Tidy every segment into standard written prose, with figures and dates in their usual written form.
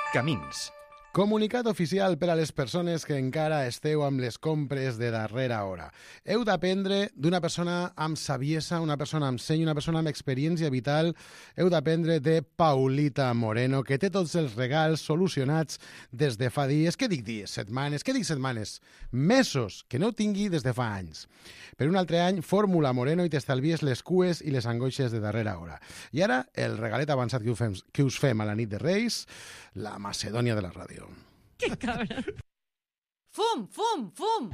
Camins. Comunicat oficial per a les persones que encara esteu amb les compres de darrera hora. Heu d'aprendre d'una persona amb saviesa, una persona amb seny, una persona amb experiència vital. Heu d'aprendre de Paulita Moreno, que té tots els regals solucionats des de fa dies. Què dic dies? Setmanes? Què dic setmanes? Mesos, que no ho tingui des de fa anys. Per un altre any, Fórmula Moreno i t'estalvies les cues i les angoixes de darrera hora. I ara, el regalet avançat que us fem a la nit de Reis, la Macedònia de la ràdio. Que cabra. Fum, fum, fum.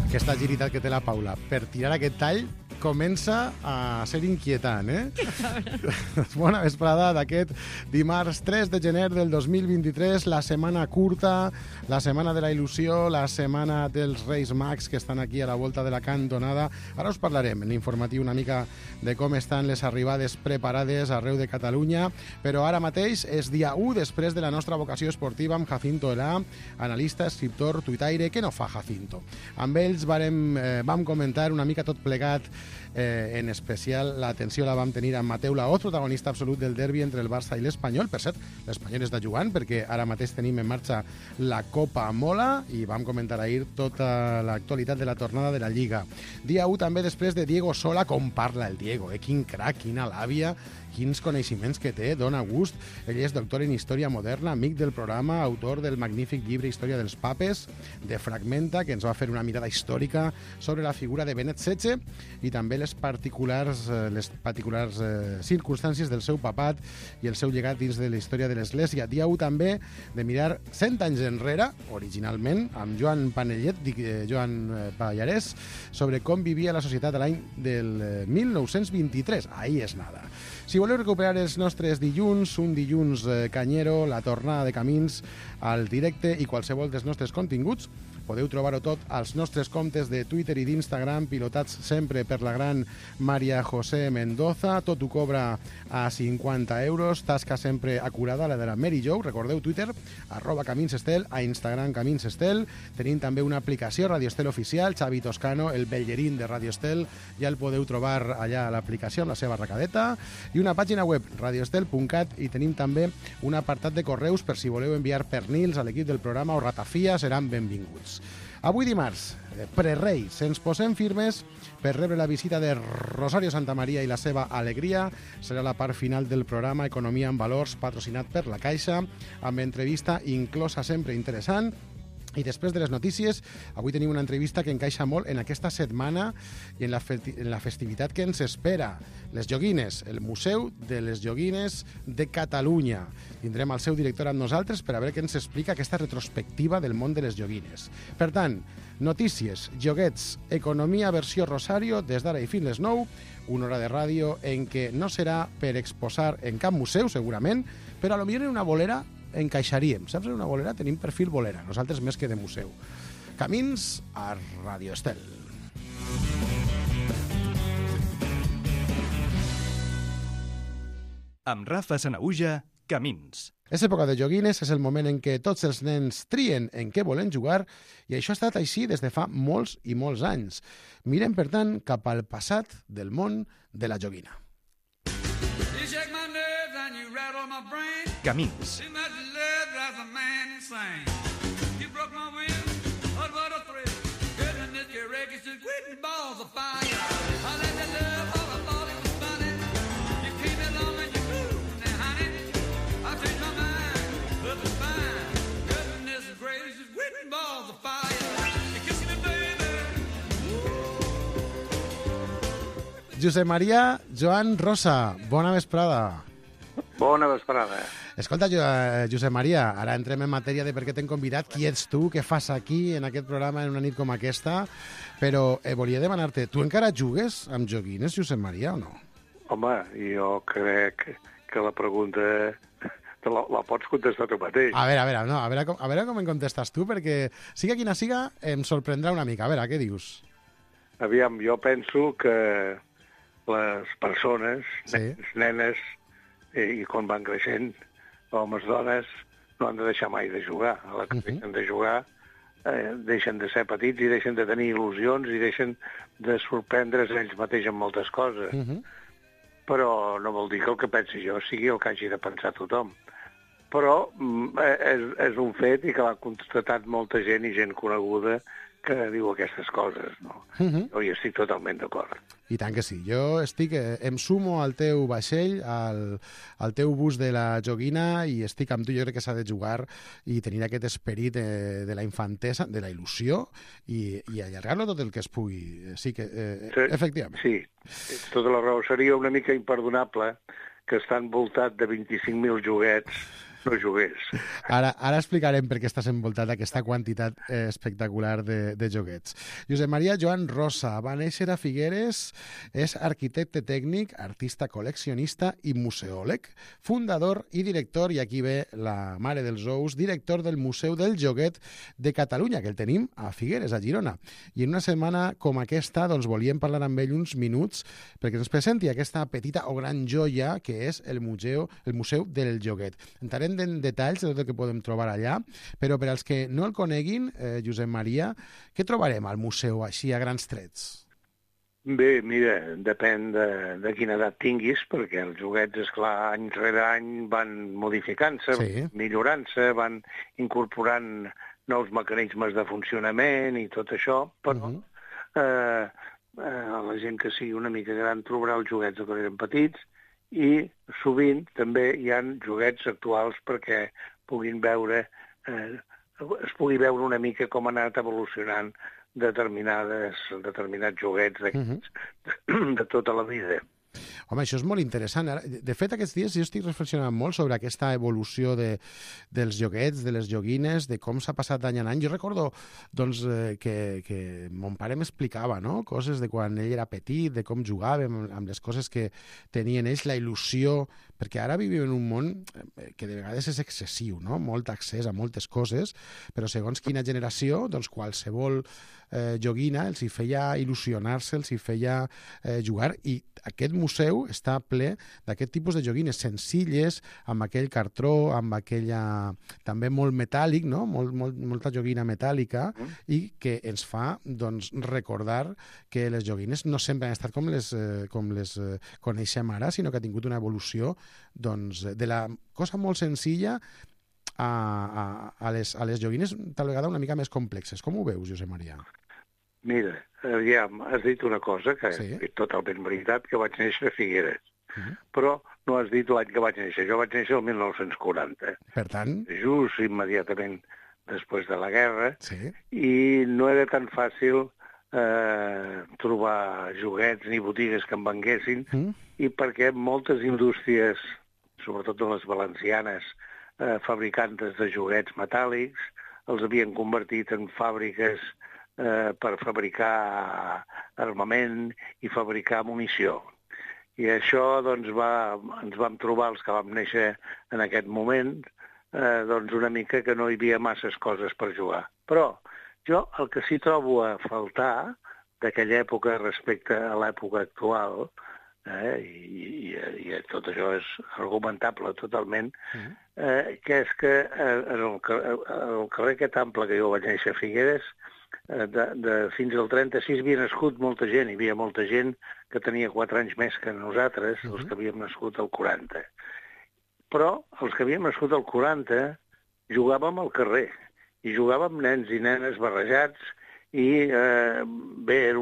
Aquesta agilitat que té la Paula per tirar aquest tall comença a ser inquietant, eh? Que cabra. Bona vesprada d'aquest dimarts 3 de gener del 2023, la setmana curta, la setmana de la il·lusió, la setmana dels Reis Mags que estan aquí a la volta de la cantonada. Ara us parlarem en l'informatiu una mica de com estan les arribades preparades arreu de Catalunya, però ara mateix és dia 1 després de la nostra vocació esportiva amb Jacinto Elà, analista, escriptor, tuitaire. Què no fa Jacinto? Amb ells vam comentar una mica tot plegat. En especial l'atenció la vam tenir amb Mateu Laoz, protagonista absolut del derbi entre el Barça i l'Espanyol. Per cert, l'Espanyol està jugant perquè ara mateix tenim en marxa la Copa Mola i vam comentar ahir tota l'actualitat de la tornada de la Lliga. Dia 1 també després de Diego Sola. Com parla el Diego, quin crac, quina làbia, quins coneixements que té, dona gust. Ell és doctor en Història Moderna, amic del programa, autor del magnífic llibre Història dels Papes, de Fragmenta, que ens va fer una mirada històrica sobre la figura de Benet XVI i també les particulars circumstàncies del seu papat i el seu llegat dins de la història de l'Església. Dia 1 també de mirar 100 anys enrere, originalment, amb Joan Panellet, Joan Pallarès, sobre com vivia la societat a l'any del 1923. Ahí és nada. Si voleu recuperar els nostres dilluns, un dilluns canyero, la tornada de Camins al directe i qualsevol dels nostres continguts, podeu trobar-ho tot als nostres comptes de Twitter i d'Instagram, pilotats sempre per la gran Maria José Mendoza. Tot ho cobra a 50 euros, tasca sempre acurada, la de la Mary Jo. Recordeu Twitter, @CaminsEstel, a Instagram CaminsEstel. Tenim també una aplicació, Radio Estel Oficial, Xavi Toscano, el bellerín de Radio Estel, ja el podeu trobar allà a l'aplicació amb la seva arracadeta, i una pàgina web, radioestel.cat, i tenim també un apartat de correus per si voleu enviar pernils a l'equip del programa o ratafia, seran benvinguts. Avui dimarts, prereis, ens posem firmes per rebre la visita de Rosario Santamaría i la seva alegria. Serà la part final del programa Economia en Valors, patrocinat per la Caixa, amb entrevista inclosa sempre interessant. I després de les notícies, avui tenim una entrevista que encaixa molt en aquesta setmana i en la festivitat que ens espera. Les Joguines, el Museu de les Joguines de Catalunya. Tindrem el seu director amb nosaltres per a veure què ens explica aquesta retrospectiva del món de les joguines. Per tant, notícies, joguets, economia versió Rosario, des d'ara i fins les 9, una hora de ràdio en què no serà per exposar en cap museu, segurament, però potser en una bolera encaixaríem. Saps? En una bolera tenim perfil bolera, nosaltres més que de museu. Camins a Radio Estel. Amb Rafa Sanaüja, Camins. És època de joguines, és el moment en què tots els nens trien en què volen jugar i això ha estat així des de fa molts i molts anys. Mirem, per tant, cap al passat del món de la joguina. Camins. Josep Maria Joan Rosa, bona vesprada. Bona vesprada. Escolta, Josep Maria, ara entrem en matèria de per què t'hem convidat, qui ets tu, què fas aquí en aquest programa en una nit com aquesta, però volia demanar-te, tu encara jugues amb joguines, Josep Maria, o no? Home, jo crec que la pregunta la pots contestar tu mateix. A veure com em contestes tu, perquè siga quina siga, em sorprendrà una mica. A veure, què dius? Aviam, jo penso que les persones, nenes, i quan van creixent, homes, dones, no han de deixar mai de jugar. A la que deixen de jugar, deixen de ser petits i deixen de tenir il·lusions i deixen de sorprendre's ells mateixos en moltes coses. però no vol dir que el que pensi jo sigui el que hagi de pensar tothom. Però és un fet i que l'ha constatat molta gent i gent coneguda que diu aquestes coses, no? Jo hi estic totalment d'acord. I tant que sí. Jo em sumo al teu vaixell, al teu bus de la joguina, i estic amb tu. Jo crec que s'ha de jugar i tenir aquest esperit de la infantesa, de la il·lusió, i allargar-lo tot el que es pugui. Sí que, efectivament. Sí, tota la raó. Seria una mica imperdonable que està envoltat de 25.000 joguets no jugués. Ara explicarem per què estàs envoltat d'aquesta quantitat espectacular de joguets. Josep Maria Joan Rosa va néixer a Figueres, és arquitecte tècnic, artista col·leccionista i museòleg, fundador i director, i aquí ve la mare dels ous, director del Museu del Joguet de Catalunya, que el tenim a Figueres, a Girona. I en una setmana com aquesta doncs, volíem parlar amb ell uns minuts perquè ens presenti aquesta petita o gran joia que és el Museu del Joguet. Entrarem en detalls de tot el que podem trobar allà, però per als que no el coneguin, Josep Maria, què trobarem al museu així a grans trets? Bé, mira, depèn de quina edat tinguis, perquè els joguets, esclar, any rere any van modificant-se, Sí. millorant-se, van incorporant nous mecanismes de funcionament i tot això, però la gent que sigui una mica gran trobarà els joguets que eren petits, i sovint també hi ha joguets actuals perquè puguin veure, es pugui veure una mica com han anat evolucionant determinats joguets de tota la vida. Home, això és molt interessant. De fet, aquests dies jo estic reflexionant molt sobre aquesta evolució dels joguets, de les joguines, de com s'ha passat d'any en any. Jo recordo doncs, que mon pare m'explicava, no? Coses de quan ell era petit, de com jugàvem, amb les coses que tenien ells, la il·lusió, perquè ara vivim en un món que de vegades és excessiu, no? Molt accés a moltes coses, però segons quina generació, doncs qualsevol joguina els hi feia il·lusionar-se, els hi feia jugar, i aquest museu està ple d'aquest tipus de joguines senzilles, amb aquell cartró, amb aquella també molt metàl·lic, no? Molta joguina metàl·lica, i que ens fa doncs, recordar que les joguines no sempre han estat com les coneixem ara, sinó que ha tingut una evolució doncs, de la cosa molt senzilla a les joguines tal vegada una mica més complexes. Com ho veus, Josep Maria? Mira, aviam, has dit una cosa que Sí. és totalment veritat, que vaig néixer a Figueres. Però no has dit l'any que vaig néixer. Jo vaig néixer el 1940, Per tant, just immediatament després de la guerra, sí. i no era tan fàcil trobar joguets ni botigues que em venguessin, i perquè moltes indústries, sobretot de les valencianes, fabricantes de joguets metàl·lics, els havien convertit en fàbriques per fabricar armament i fabricar munició. I això doncs, ens vam trobar, els que vam néixer en aquest moment, doncs una mica que no hi havia masses coses per jugar. Però jo el que sí trobo a faltar d'aquella època respecte a l'època actual, i tot això és argumentable totalment, que és que en el carrer aquest ample que jo vaig néixer a Figueres, fins al 36 havia nascut molta gent, hi havia molta gent que tenia 4 anys més que nosaltres, els que havíem nascut al 40. Però els que havíem nascut al 40 jugàvem al carrer, i jugàvem nens i nenes barrejats, i bé, era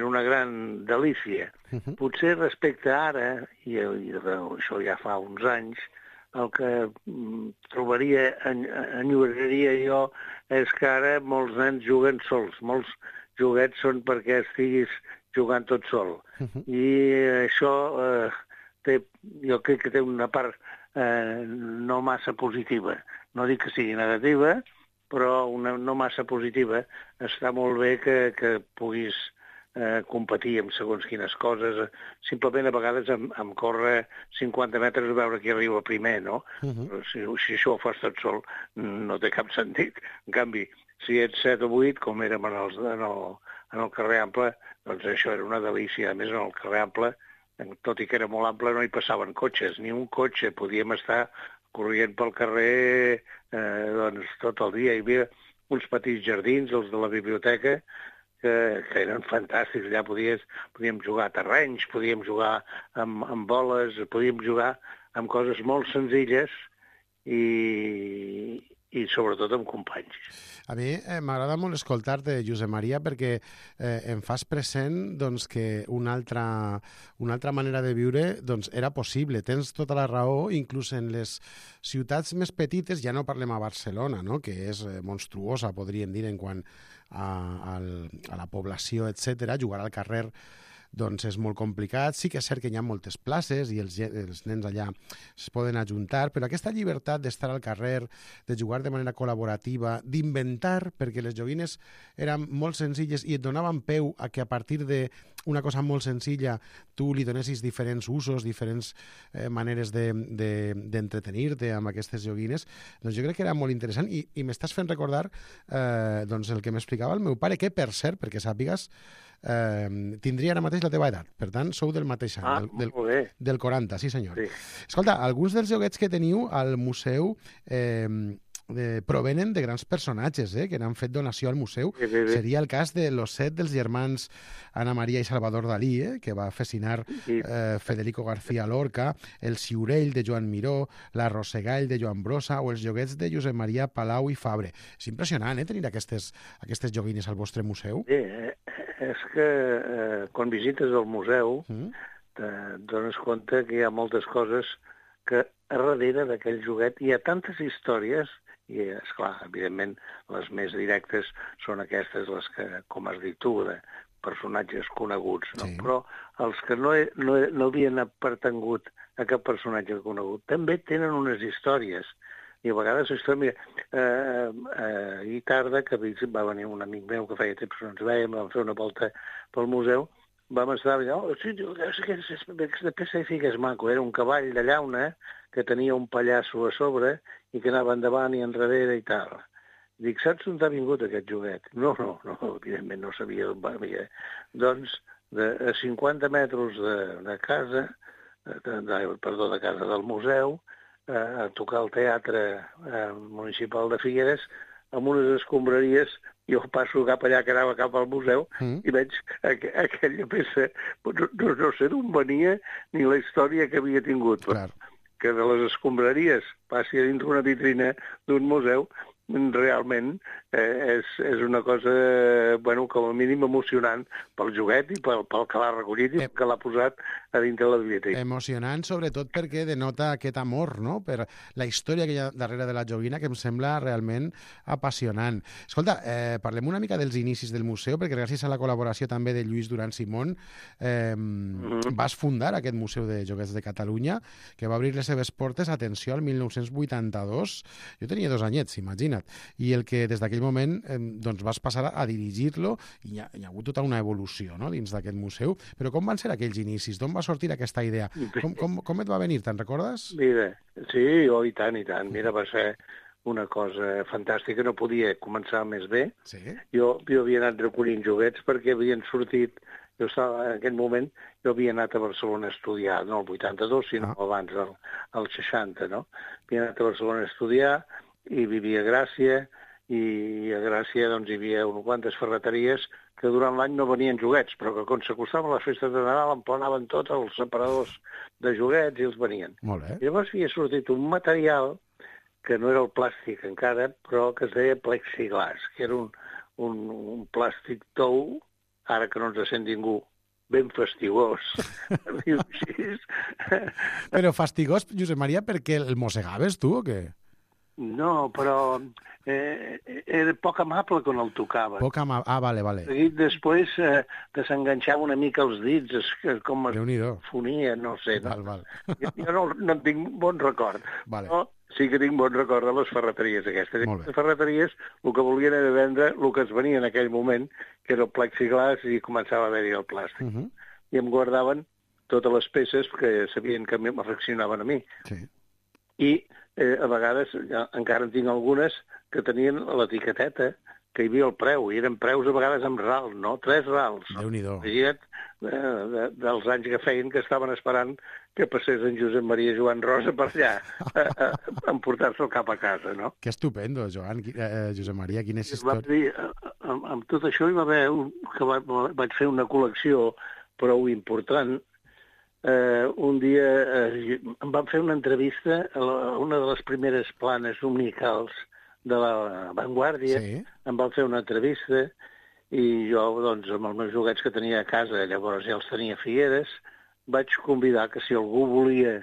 una gran delícia. Potser respecte a ara, i això ja fa uns anys, el que trobaria, enyoraria jo, és que ara molts nens juguen sols. Molts joguets són perquè estiguis jugant tot sol. I això jo crec que té una part no massa positiva. No dic que sigui negativa, però una no massa positiva. Està molt bé que puguis competir amb segons quines coses. Simplement a vegades em corre 50 metres a veure qui arriba primer, no? Si això ho fas tot sol, no té cap sentit. En canvi, si ets 7 o 8, com érem en el carrer Ample, doncs això era una delícia. A més, en el carrer Ample, tot i que era molt ample, no hi passaven cotxes, ni un cotxe. Podíem estar corrent pel carrer doncs, tot el dia. Hi havia uns petits jardins, els de la biblioteca, que eren fantàstics. Allà podíem jugar a terrenys, podíem jugar amb boles, podíem jugar amb coses molt senzilles i sobretot amb companys. A mi m'agrada molt escoltar-te, Josep Maria, perquè em fas present doncs, que una altra manera de viure doncs, era possible. Tens tota la raó, inclús en les ciutats més petites, ja no parlem a Barcelona, no? Que és monstruosa, podríem dir, en quant a la població, etc. Jugar al carrer doncs és molt complicat. Sí que és cert que hi ha moltes places i els nens allà es poden ajuntar, però aquesta llibertat d'estar al carrer, de jugar de manera col·laborativa, d'inventar, perquè les joguines eren molt senzilles i et donaven peu a que a partir d'una cosa molt senzilla tu li donessis diferents usos, diferents maneres d'entretenir-te amb aquestes joguines, doncs jo crec que era molt interessant i m'estàs fent recordar doncs el que m'explicava el meu pare, que per cert, perquè sàpigues, tindria ara mateix la teva edat, per tant sou del mateix any, del 40, sí senyor. Sí. Escolta, alguns dels joguets que teniu al museu provenen de grans personatges que n'han fet donació al museu. Sí. Seria el cas de l'osset dels germans Ana Maria i Salvador Dalí, que va fascinar Federico García Lorca, el Ciurell de Joan Miró, la Rosegall de Joan Brossa o els joguets de Josep Maria Palau i Fabre. És impressionant, tenir aquestes joguines al vostre museu. Sí, és que quan visites el museu te dones compte que hi ha moltes coses que a darrere d'aquell joguet hi ha tantes històries i, esclar, evidentment, les més directes són aquestes, les que, com has dit tu, de personatges coneguts, no? Sí. Però els que no havien pertangut a cap personatge conegut també tenen unes històries. I a vegades mira, ahir tarda, que va venir un amic meu que feia temps que no ens veiem, vam fer una volta pel museu, vam estar allà, sí, aquesta peça de figa és maco, era un cavall de llauna que tenia un pallasso a sobre i que anava endavant i enrere i tal. Dic, saps on ha vingut aquest joguet? No, evidentment no sabia on va venir. Doncs a 50 metres de casa, de casa del museu, a tocar al teatre municipal de Figueres, amb unes escombraries, jo passo cap allà que anava cap al museu i veig aquella peça, no sé d'on venia ni la història que havia tingut. Clar. Que de les escombraries passi a dintre una vitrina d'un museu, realment és una cosa, com a mínim emocionant pel joguet i pel que l'ha recollit i que l'ha posat a dintre la biblioteca. Emocionant, sobretot perquè denota aquest amor, no?, per la història que hi ha darrere de la joguina, que em sembla realment apassionant. Escolta, parlem una mica dels inicis del museu, perquè gràcies a la col·laboració també de Lluís Duran Simón vas fundar aquest Museu de Joguets de Catalunya, que va obrir les seves portes, atenció, al 1982. Jo tenia 2 anyets, imagina't. I el que des d'aquell moment doncs vas passar a dirigir-lo i hi ha hagut tota una evolució, no?, dins d'aquest museu. Però com van ser aquells inicis? D'on va sortir aquesta idea? Com et va venir? Te'n recordes? Mira, sí, i tant. Mira, va ser una cosa fantàstica. No podia començar més bé. Sí? Jo havia anat recollint joguets perquè havien sortit. Jo estava, en aquell moment, havia anat a Barcelona a estudiar, no el 82, sinó abans, el 60, no? Havia anat a Barcelona a estudiar i vivia a Gràcia, i a Gràcia doncs, hi havia unes quantes ferreteries que durant l'any no venien joguets, però que quan s'acostaven les festes de Nadal emplenaven tots els separadors de joguets i els venien. Molt bé. I llavors havia sortit un material que no era el plàstic encara, però que es deia plexiglas, que era un plàstic tou, ara que no ens sent ningú, ben fastigós. Però fastigós, Josep Maria, perquè el mossegaves tu o què? No, però era poc amable quan el tocava. Vale. Després desenganxava una mica els dits, com es fonia, no sé. Val. Jo no en tinc bon record. Vale. Però sí que tinc bon record de les ferreteries aquestes. Les ferreteries el que volien era vendre el que es venia en aquell moment, que era el plexiglas, i començava a haver-hi el plàstic. I em guardaven totes les peces que sabien que m'afeccionaven a mi. Sí. I a vegades, encara en tinc algunes, que tenien l'etiqueteta, que hi havia el preu, i eren preus a vegades amb rals, no? 3 rals. Déu-n'hi-do. Imagina't, dels anys que feien, que estaven esperant que passés en Josep Maria Joan Rosa per allà, a emportar-se'l cap a casa, no? Que estupendo, Josep Maria, quines històries. Vam dir, amb tot això hi va haver que vaig fer una col·lecció prou important. Un dia em van fer una entrevista a una de les primeres planes dominicals de la Vanguardia. Sí. Em van fer una entrevista i jo, doncs, amb els meus joguets que tenia a casa, llavors ja els tenia a Figueres, vaig convidar que si algú volia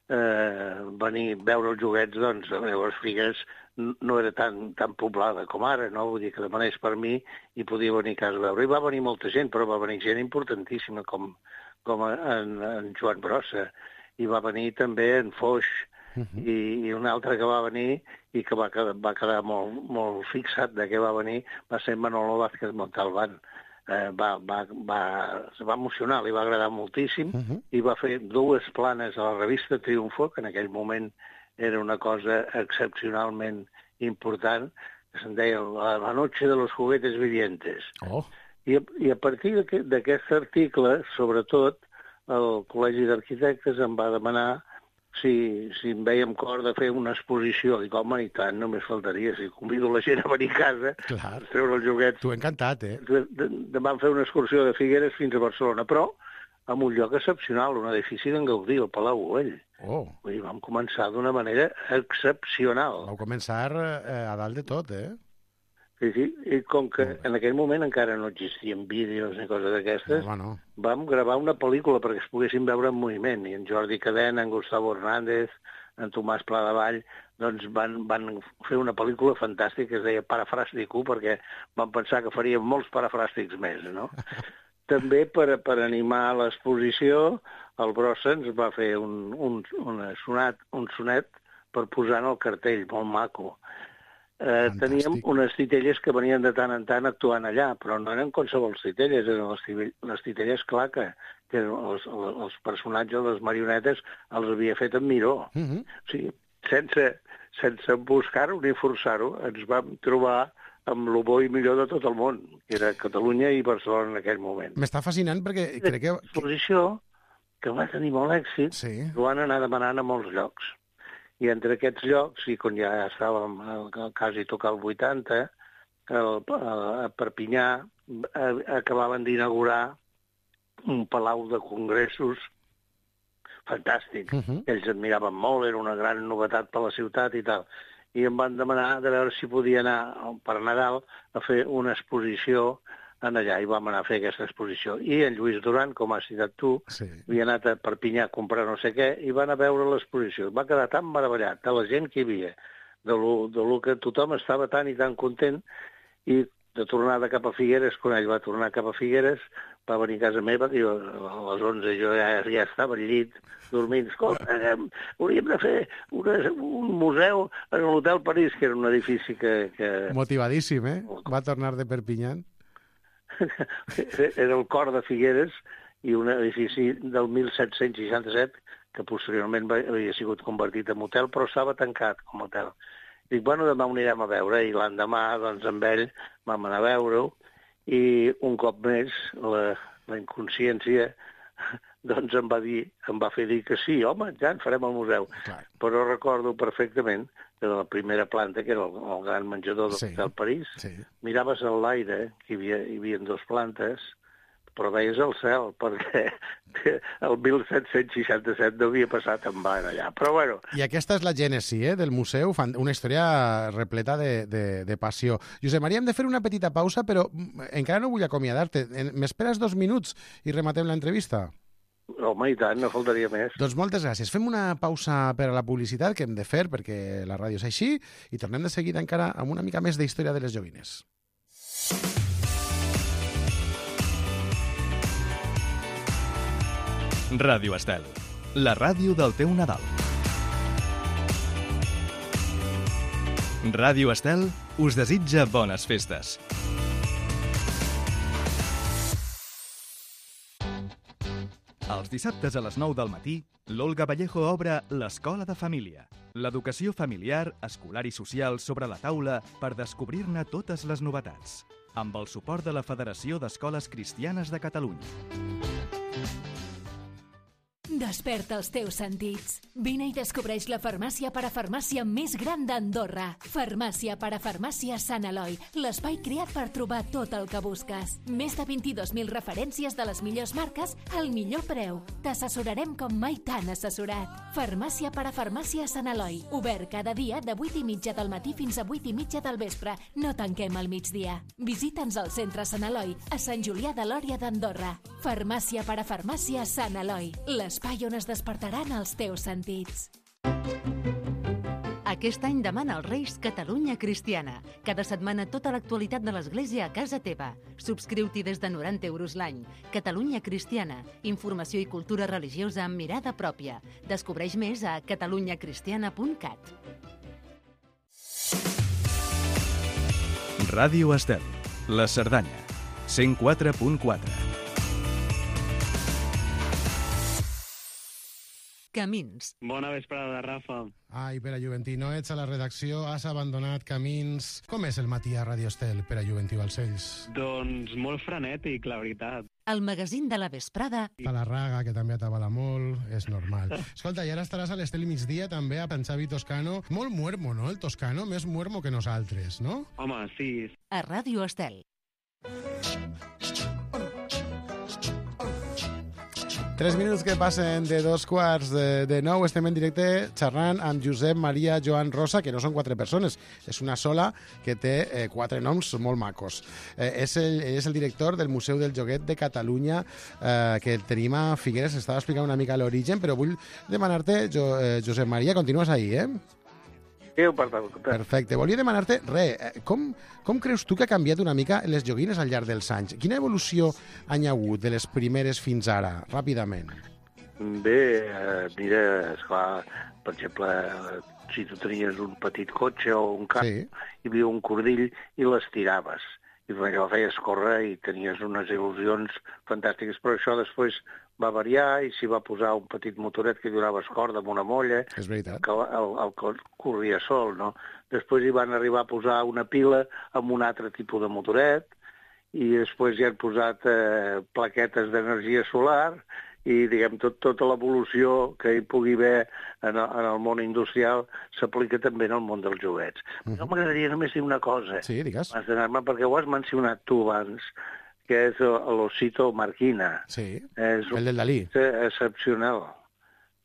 venir a veure els joguets, doncs llavors Figueres no era tan poblada com ara, no? Vull dir que demanés per mi i podia venir a casa a veure. I va venir molta gent, però va venir gent importantíssima com en Joan Brossa. I va venir també en Foix, i un altre que va venir i que va quedar molt fixat de què va venir va ser Manolo Vázquez Montalbán. Es va emocionar, li va agradar moltíssim i va fer 2 planes a la revista Triunfo, que en aquell moment era una cosa excepcionalment important, que se'n deia La noche de los juguetes vivientes. Oh. I a partir d'aquest article, sobretot, el Col·legi d'Arquitectes em va demanar si em veia amb cor de fer una exposició. Dic, home, i tant, només faltaria. Si convido la gent a venir a casa, a treure els joguets. T'ho he encantat, eh? Vam fer una excursió de Figueres fins a Barcelona, però en un lloc excepcional, un edifici d'en Gaudí, el Palau Güell. Oh. Vull dir, vam començar d'una manera excepcional. Vau començar a dalt de tot, eh? Sí, i com que en aquell moment encara no existien vídeos ni coses d'aquestes, vam gravar una pel·lícula perquè es poguessin veure en moviment, i en Jordi Cadena, en Gustavo Hernández, en Tomàs Pladevall, doncs van fer una pel·lícula fantàstica que es deia Parafràstico, perquè van pensar que faríem molts parafràstics més, no? També per animar l'exposició, el Brossa ens va fer un sonet per posar en el cartell, molt maco. Teníem unes titelles que venien de tant en tant actuant allà, però no eren qualsevol titelles, eren les titelles Claca, que els personatges, les marionetes, els havia fet en Miró. O sigui, sense buscar-ho ni forçar-ho, ens vam trobar amb el bo i millor de tot el món, que era Catalunya i Barcelona en aquell moment. M'està fascinant perquè crec que... L'exposició, que va tenir molt èxit, ho van anar demanant a molts llocs. I entre aquests llocs, i quan ja estàvem quasi tocar el 80, a Perpinyà acabaven d'inaugurar un palau de congressos fantàstic. Ells admiraven molt, era una gran novetat per la ciutat i tal. I em van demanar de veure si podia anar per Nadal a fer una exposició allà, i vam anar a fer aquesta exposició. I en Lluís Duran, com has citat tu, havia anat a Perpinyà a comprar no sé què, i van a veure l'exposició. Va quedar tan meravellat de la gent que hi havia, de lo que tothom estava tan i tan content, i de tornada cap a Figueres, quan ell va tornar cap a Figueres, va venir a casa meva, i a les 11 jo ja estava al llit, dormint. Escolta, hauríem de fer un museu en l'Hotel París, que era un edifici que... Motivadíssim, eh? Va tornar de Perpinyà. Era el cor de Figueres i un edifici del 1767 que posteriorment havia sigut convertit en hotel, però estava tancat com a hotel. Dic, bueno, demà ho anirem a veure, i l'endemà, doncs, amb ell vam anar a veure-ho, i un cop més la inconsciència doncs em va fer dir que sí, home, ja en farem el museu. Però recordo perfectament que de la primera planta, que era el gran menjador del París, miraves a l'aire, que hi havia 2 plantes, però veies el cel, perquè el 1767 no havia passat en van allà. Però bueno... I aquesta és la gènesi del museu, una història repleta de passió. Josep Maria, hem de fer una petita pausa, però encara no vull acomiadar-te. M'esperes 2 minuts i rematem l'entrevista? Home, i tant, no faltaria més. Doncs moltes gràcies. Fem una pausa per a la publicitat, que hem de fer, perquè la ràdio és així, i tornem de seguida encara amb una mica més d'història de les joguines. Ràdio Estel, la ràdio del teu Nadal. Ràdio Estel us desitja bones festes. Els dissabtes a les 9 del matí, l'Olga Vallejo obre l'Escola de Família. L'educació familiar, escolar i social sobre la taula per descobrir-ne totes les novetats. Amb el suport de la Federació d'Escoles Cristianes de Catalunya. Desperta els teus sentits. Vine i descobreix la farmàcia parafarmàcia més gran d'Andorra. Farmàcia parafarmàcia Sant Eloi, l'espai creat per trobar tot el que busques. Més de 22.000 referències de les millors marques al millor preu. T'assessorarem com mai t'han assessorat. Farmàcia parafarmàcia Sant Eloi, obert cada dia de 8:30 del matí fins a 8:30 del vespre. No tanquem al migdia. Visita'ns al centre Sant Eloi, a Sant Julià de Lòria d'Andorra. Farmàcia parafarmàcia Sant Eloi, l'espai on es despertaran els teus sentits. Aquest any demana als Reis Catalunya Cristiana. Cada setmana tota l'actualitat de l'Església a casa teva. Subscriu-t'hi des de 90 euros l'any. Catalunya Cristiana. Informació i cultura religiosa amb mirada pròpia. Descobreix més a catalunyacristiana.cat. Ràdio Estel, la Cerdanya, 104.4. Camins. Bona vesprada, Rafa. Ai, Pere Juventí, no ets a la redacció, has abandonat Camins. Com és el matí a Ràdio Estel, Pere Juventí Balcells? Doncs molt frenètic, la veritat. El magazín de la vesprada. A la Raga, que també atabala molt, és normal. Escolta, i ara estaràs a l'Estel migdia també a Xavi Toscano. Molt muermo, no, el Toscano? Més muermo que nosaltres, no? Home, sí. A Ràdio Estel. 3 minuts que passen de 2:15 estem en directe xerrant amb Josep Maria Joan Rosa, que no són 4 persones, és una sola que té 4 noms molt macos. És el director del Museu del Joguet de Catalunya, que tenim a Figueres. Estava explicant una mica l'origen, però vull demanar-te, Josep Maria, continues ahí, Perfecte. Volia demanar-te, com creus tu que ha canviat una mica les joguines al llarg dels anys? Quina evolució han hi hagut de les primeres fins ara, ràpidament? Bé, mira, esclar, per exemple, si tu tenies un petit cotxe o un camp, Sí. hi havia un cordill i l'estiraves. I allò feies córrer i tenies unes il·lusions fantàstiques, però això després va variar i s'hi va posar un petit motoret que donaves corda amb una molla, És veritat. que el corria sol, no? Després hi van arribar a posar una pila amb un altre tipus de motoret i després hi han posat plaquetes d'energia solar i, diguem, tota l'evolució que hi pugui haver en el món industrial s'aplica també en el món dels joguets. Però m'agradaria només dir una cosa, Sí, digues. abans d'anar-me, perquè ho has mencionat tu abans, que és l'Osito Marquina. Sí, És el del Dalí. excepcional.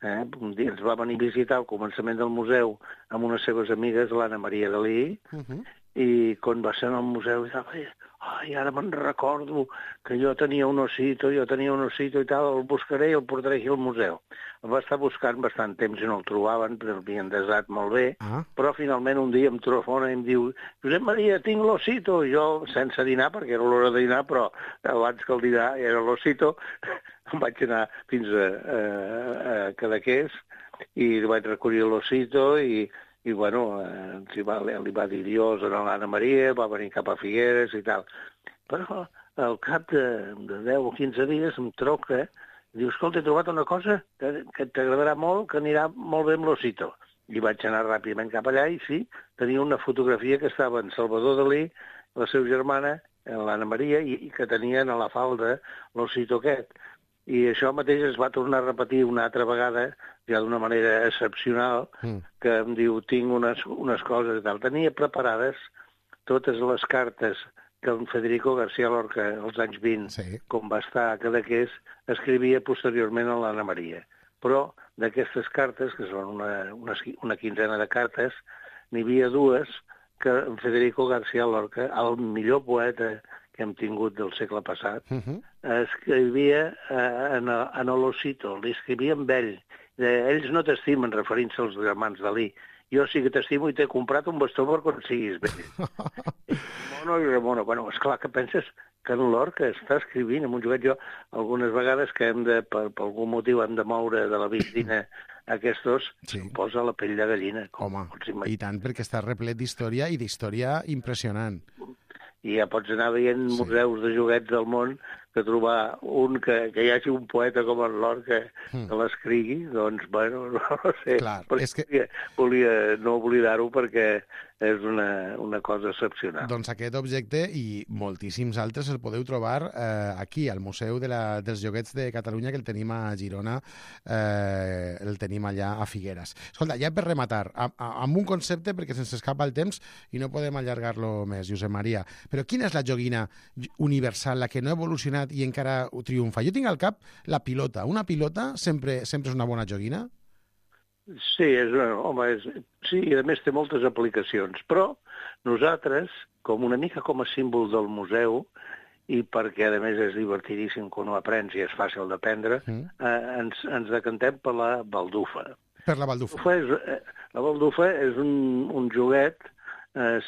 Un dia ens va venir a visitar al començament del museu amb unes seves amigues, l'Anna Maria Dalí, i quan va ser al museu ara me'n recordo que jo tenia un osito i tal, el buscaré i el portaré aquí al museu. El va estar buscant bastant temps i no el trobaven, però l'havien desat molt bé, però finalment un dia em telefona i em diu: Josep Maria, tinc l'osito. I jo, sense dinar, perquè era l'hora de dinar, però abans que el dinar era l'osito, em vaig anar fins a Cadaqués i vaig recollir l'osito i bueno, li va dir Dios a l'Anna Maria, va venir cap a Figueres i tal. Però al cap de 10 o 15 dies em truca i diu: escolta, he trobat una cosa que t'agradarà molt, que anirà molt bé amb l'Osito. I vaig anar ràpidament cap allà i sí, tenia una fotografia que estava en Salvador Dalí, la seva germana, l'Anna Maria, i que tenien a la falda l'Osito aquest. I això mateix es va tornar a repetir una altra vegada, ja d'una manera excepcional, que em diu: tinc unes coses i tal. Tenia preparades totes les cartes que en Federico García Lorca, als anys 20, com va estar a Cadaqués, escrivia posteriorment a l'Anna Maria. Però d'aquestes cartes, que són una quinzena de cartes, n'hi havia 2 que en Federico García Lorca, el millor poeta que hem tingut del segle passat, escrivia en l'Osito, li escrivia amb ell. Ells no t'estimen, referint-se als germans Dalí. Jo sí que t'estimo i t'he comprat un bastó per quan siguis vell. Mono i Remono. Bueno, esclar, que penses que en Lorca està escrivint en un joguet? Jo, algunes vegades que per algun motiu hem de moure de la vistina aquests, se'm posa la pell de gallina. Home, i tant, perquè està replet d'història i d'història impressionant. I ja pots anar veient museus de joguets del món que trobar que hi hagi un poeta com en Lord que l'escrigui, doncs, bueno, no sé. Clar, és que... volia no oblidar-ho perquè és una cosa excepcional. Doncs aquest objecte i moltíssims altres el podeu trobar aquí, al Museu dels Joguets de Catalunya, que el tenim a Girona, el tenim allà a Figueres. Escolta, ja per rematar, amb un concepte, perquè se'ns escapa el temps i no podem allargar-lo més, Josep Maria, però quina és la joguina universal, la que no ha evolucionat i encara triomfa? Jo tinc al cap la pilota. Una pilota sempre és una bona joguina? Sí, sí, i a més té moltes aplicacions, però nosaltres, una mica com a símbol del museu, i perquè a més és divertidíssim quan ho aprens i és fàcil d'aprendre, ens decantem per la baldufa. Per la baldufa. La baldufa és un joguet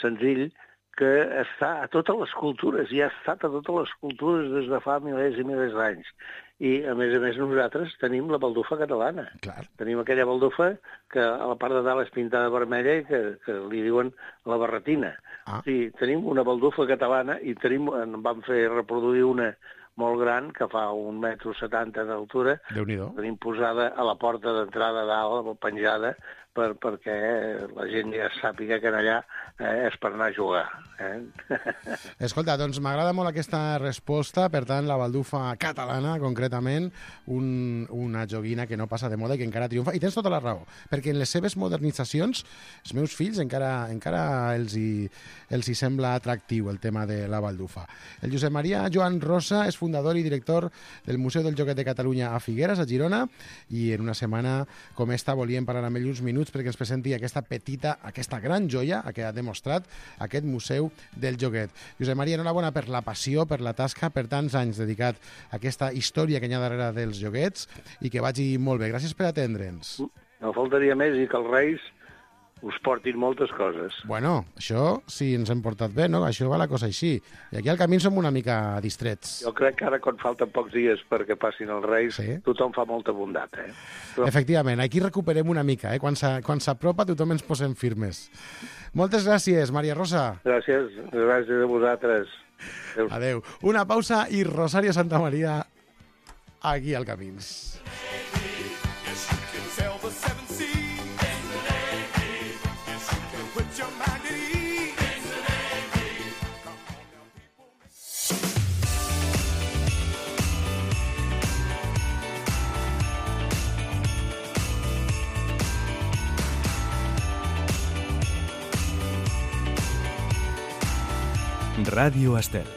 senzill que està a totes les cultures, i ha estat a totes les cultures des de fa milers i milers d'anys. I, a més, nosaltres tenim la baldufa catalana. Clar. Tenim aquella baldufa que a la part de dalt és pintada vermella i que li diuen la barretina. Sí, tenim una baldufa catalana i en vam fer reproduir una molt gran, que fa 1,70 m d'altura. Déu-n'hi-do. Tenim posada a la porta d'entrada dalt, penjada, perquè la gent ja sàpiga que allà és per anar a jugar. Escolta, doncs m'agrada molt aquesta resposta. Per tant, la baldufa catalana, concretament, una joguina que no passa de moda i que encara triomfa. I tens tota la raó, perquè en les seves modernitzacions, els meus fills encara els hi sembla atractiu el tema de la baldufa. El Josep Maria Joan Rosa és fundador i director del Museu del Joguet de Catalunya a Figueres, a Girona, i en una setmana com esta volíem parlar amb ell uns minuts perquè ens presenti aquesta gran joia que ha demostrat aquest Museu del Joguet. Josep Maria, enhorabona per la passió, per la tasca, per tants anys dedicat a aquesta història que hi ha darrere dels joguets, i que vagi molt bé. Gràcies per atendre'ns. No faltaria més, i que els Reis us portin moltes coses. Bueno, això sí ens hem portat bé, no? Això va la cosa així. I aquí al camí som una mica distrets. Jo crec que ara, quan falten pocs dies perquè passin els Reis, tothom fa molta bondat, Però... Efectivament, aquí recuperem una mica, Quan s'apropa tothom ens posem firmes. Moltes gràcies, Maria Rosa. Gràcies a vosaltres. Adéu. Una pausa i Rosario Santamaría aquí al Camins. Ràdio Estel.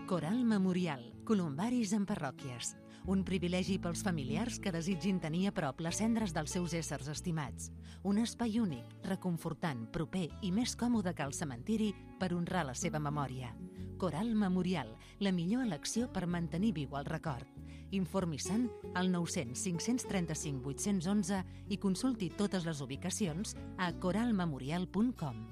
Coral Memorial, columbaris en parròquies. Un privilegi pels familiars que desitgin tenir a prop les cendres dels seus éssers estimats. Un espai únic, reconfortant, proper i més còmode que el cementiri per honrar la seva memòria. Coral Memorial, la millor elecció per mantenir viu el record. Informi-se'n al 900 535 811 i consulti totes les ubicacions a coralmemorial.com.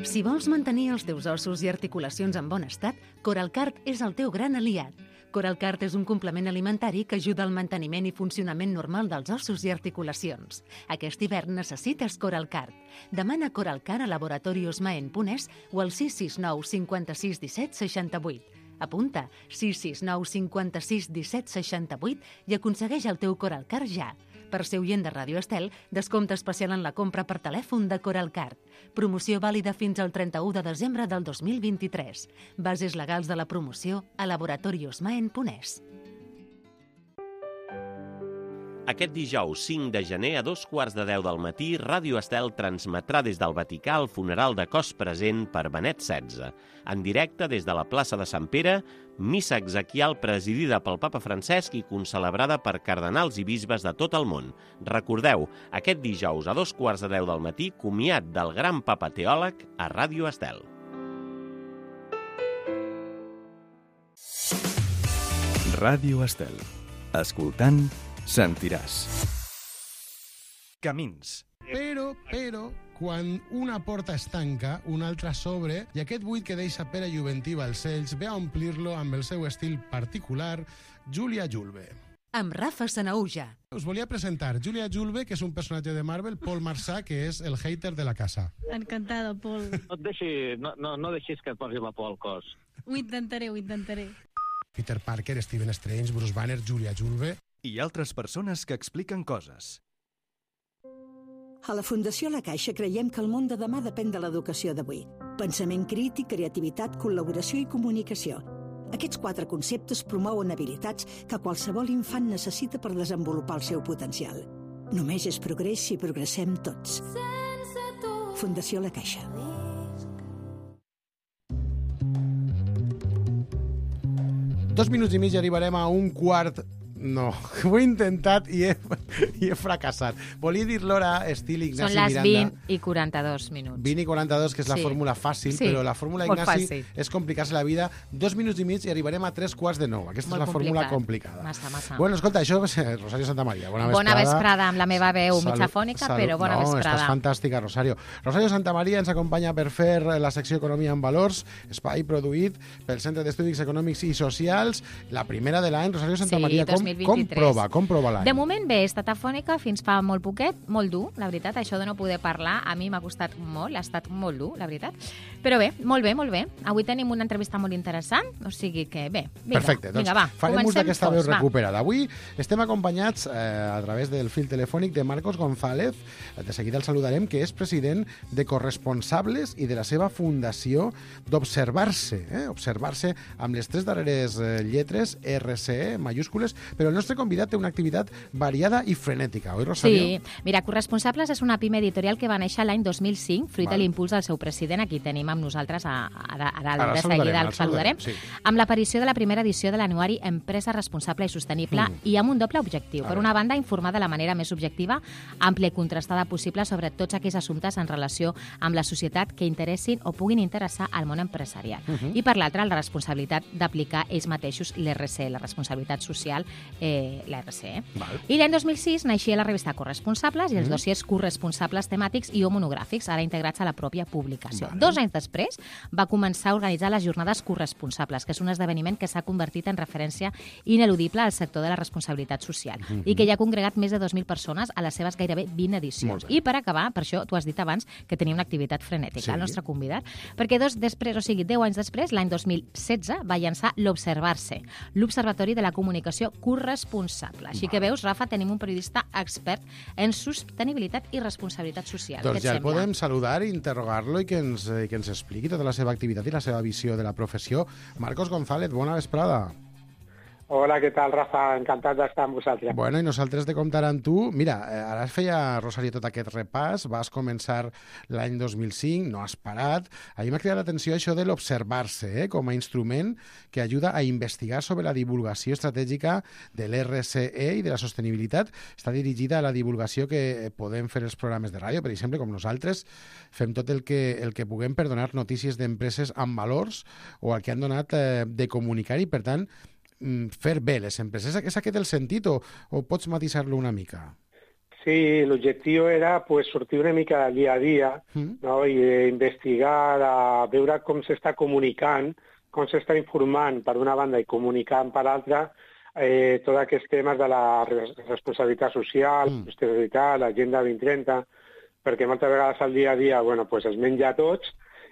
Si vols mantenir els teus ossos i articulacions en bon estat, Coralcart és el teu gran aliat. Coralcart és un complement alimentari que ajuda al manteniment i funcionament normal dels ossos i articulacions. Aquest hivern necessites Coralcart. Demana Coralcart a Laboratorios Maen Punès o al 669 56 17 68. Apunta 669 56 17 68 i aconsegueix el teu Coralcart ja. Per ser oient de Ràdio Estel, descompte especial en la compra per telèfon de Coralcart. Promoció vàlida fins al 31 de desembre del 2023. Bases legals de la promoció a Laboratorios Maen Punès. Aquest dijous 5 de gener a 2:15 del matí, Ràdio Estel transmetrà des del Vaticà el funeral de cos present per Benet XVI. En directe des de la plaça de Sant Pere, missa exequial presidida pel papa Francesc i concelebrada per cardenals i bisbes de tot el món. Recordeu, aquest dijous a 2:15 del matí, comiat del gran papa teòleg a Ràdio Estel. Ràdio Estel. Escoltant, sentiràs. Camins. Però, quan una porta es tanca, una altra s'obre, i aquest buit que deixa Pere Juventí Balcells ve a omplir-lo amb el seu estil particular, Júlia Julve. amb Rafa Sanahuja. Us volia presentar Julia Julve, que és un personatge de Marvel, Paul Marsà, que és el hater de la casa. Encantada, Paul. No deixis que et posi la por al cos. Ho intentaré. Peter Parker, Stephen Strange, Bruce Banner, Julia Julve... I altres persones que expliquen coses. A la Fundació La Caixa creiem que el món de demà depèn de l'educació d'avui. Pensament crític, creativitat, col·laboració i comunicació. Aquests 4 conceptes promouen habilitats que qualsevol infant necessita per desenvolupar el seu potencial. Només és progrés si progressem tots. Fundació La Caixa. Dos minuts i mig i arribarem a un quart... No, ho he intentat i he fracassat. Volia dir l'hora estil Ignasi Miranda. Són les 20 i 42 minuts. 20 i 42, que és la fórmula fàcil, però la fórmula Ignasi és complicar-se la vida. 2 minuts i mig i arribarem a 3:15. Aquesta és la fórmula complicada. Massa. Bueno, escolta, això va ser Rosario Santamaría. Bona vesprada, amb la meva veu mitjafònica, però bona vesprada. Estàs fantàstica, Rosario. Rosario Santamaría ens acompanya per fer la secció Economia en Valors, espai produït pel Centre d'Estudis Econòmics i Socials, la primera de l'any. Rosario Santamaría, com prova l'any? De moment bé, he estat afònica fins fa molt poquet, molt dur, la veritat. Això de no poder parlar a mi m'ha costat molt, ha estat molt dur, la veritat. Però bé, molt bé. Avui tenim una entrevista molt interessant, o sigui que bé, perfecte, doncs farem ús d'aquesta veu recuperada. Avui estem acompanyats a través del fil telefònic de Marcos González, de seguida el saludarem, que és president de Corresponsables i de la seva fundació d'Observar-se, Observar-se amb les 3 darreres lletres, RCE, majúscules, però el nostre convidat té una activitat variada i frenètica, oi, Rosario? Sí, mira, Corresponsables és una pime editorial que va néixer l'any 2005, fruit de l'impuls del seu president. Aquí tenim amb nosaltres a dalt, de seguida el saludarem, amb l'aparició de la primera edició de l'anuari Empresa Responsable i Sostenible i amb un doble objectiu. Per una banda, informar de la manera més objectiva, àmplia i contrastada possible sobre tots aquells assumptes en relació amb la societat que interessin o puguin interessar al món empresarial. I per l'altra, la responsabilitat d'aplicar ells mateixos l'RCE, la responsabilitat social, la RCE. I l'any 2006 naixia la revista Corresponsables i els dossiers corresponsables temàtics i o monogràfics, ara integrats a la pròpia publicació. 2 anys després va començar a organitzar les jornades corresponsables, que és un esdeveniment que s'ha convertit en referència ineludible al sector de la responsabilitat social i que ja ha congregat més de 2.000 persones a les seves gairebé 20 edicions. I per acabar, per això tu has dit abans que tenia una activitat frenètica, el nostre convidat, perquè 10 anys després, l'any 2016, va llançar l'Observar-se, l'Observatori de la Comunicació Corresponsable. Així que veus, Rafa, tenim un periodista expert en sostenibilitat i responsabilitat social. Doncs ja el podem saludar, interrogar-lo i que ens expliqui tota la seva activitat i la seva visió de la professió. Marcos González, bona vesprada. Hola, què tal, Rafa? Encantat d'estar amb vosaltres. Bueno, i nosaltres de comptar amb tu. Mira, ara feia, Rosario, tot aquest repàs. Vas començar l'any 2005, no has parat. A mi m'ha cridat l'atenció això de l'observar-se, com a instrument que ajuda a investigar sobre la divulgació estratègica de l'RCE i de la sostenibilitat. Està dirigida a la divulgació que podem fer els programes de ràdio, per exemple, com nosaltres. Fem tot el que puguem per donar notícies d'empreses amb valors o el que han donat de comunicar i, per tant, fer bé les empreses. És aquest el sentit o pots matisar-lo una mica? Sí, l'objectiu era sortir una mica del dia a dia, no? I investigar, veure com s'està comunicant, com s'està informant per una banda i comunicant per l'altra tots aquests temes de la responsabilitat social, sostenibilitat, l'agenda 2030, perquè moltes vegades al dia a dia es menja a tots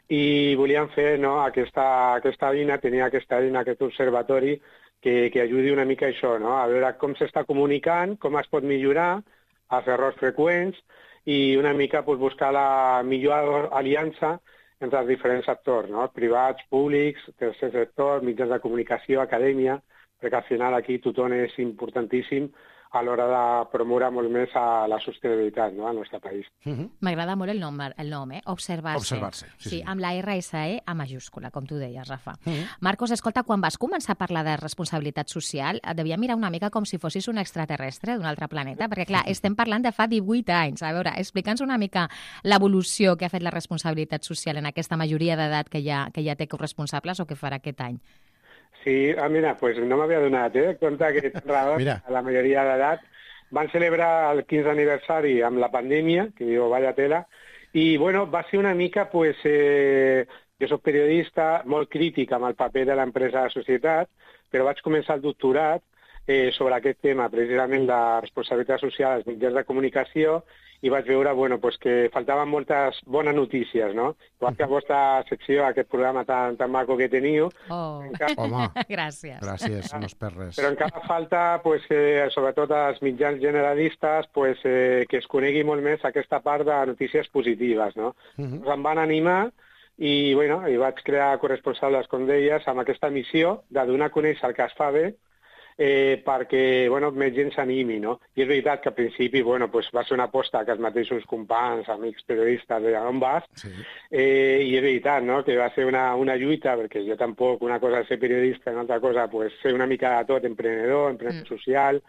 i volíem fer aquesta eina, tenir aquesta eina, aquest observatori que ajudi una mica a això, a veure com s'està comunicant, com es pot millorar, els errors freqüents i una mica buscar la millor aliança entre els diferents sectors, privats, públics, tercer sector, mitjans de comunicació, acadèmia, perquè al final aquí tothom és importantíssim a l'hora de promoure molt més la sostenibilitat al nostre país. M'agrada molt el nom, Observar-se. Observar-se, sí, amb la RSE a majúscula, com tu deies, Rafa. Marcos, escolta, quan vas començar a parlar de responsabilitat social, et devia mirar una mica com si fossis un extraterrestre d'un altre planeta, perquè, clar, estem parlant de fa 18 anys. A veure, explica'ns una mica l'evolució que ha fet la responsabilitat social en aquesta majoria d'edat que ja té corresponsables o que farà aquest any. Sí, mira, no m'havia donat compte que a la majoria d'edat van celebrar el 15 aniversari amb la pandèmia, que diu, vaya tela, i va ser una mica, jo soc periodista, molt crític amb el paper de l'empresa a la societat, però vaig començar el doctorat sobre aquest tema, precisament la responsabilitat social als mitjans de comunicació, i vaig veure que faltaven moltes bones notícies, no? Igual que a vostra secció, aquest programa tan maco que teniu. Home, gràcies. Gràcies, no es perd res. Però encara falta, sobretot als mitjans generalistes, que es conegui molt més aquesta part de notícies positives, no? Em van animar i vaig crear corresponsables, com deies, amb aquesta missió de donar a conèixer el que es fa bé, perquè més gent s'animi, no? I és veritat que al principi va ser una aposta que els mateixos companys, amics periodistes de on vas, i és veritat, no?, que va ser una lluita, perquè jo tampoc, una cosa és ser periodista, una altra cosa ser una mica de tot, emprenedor social,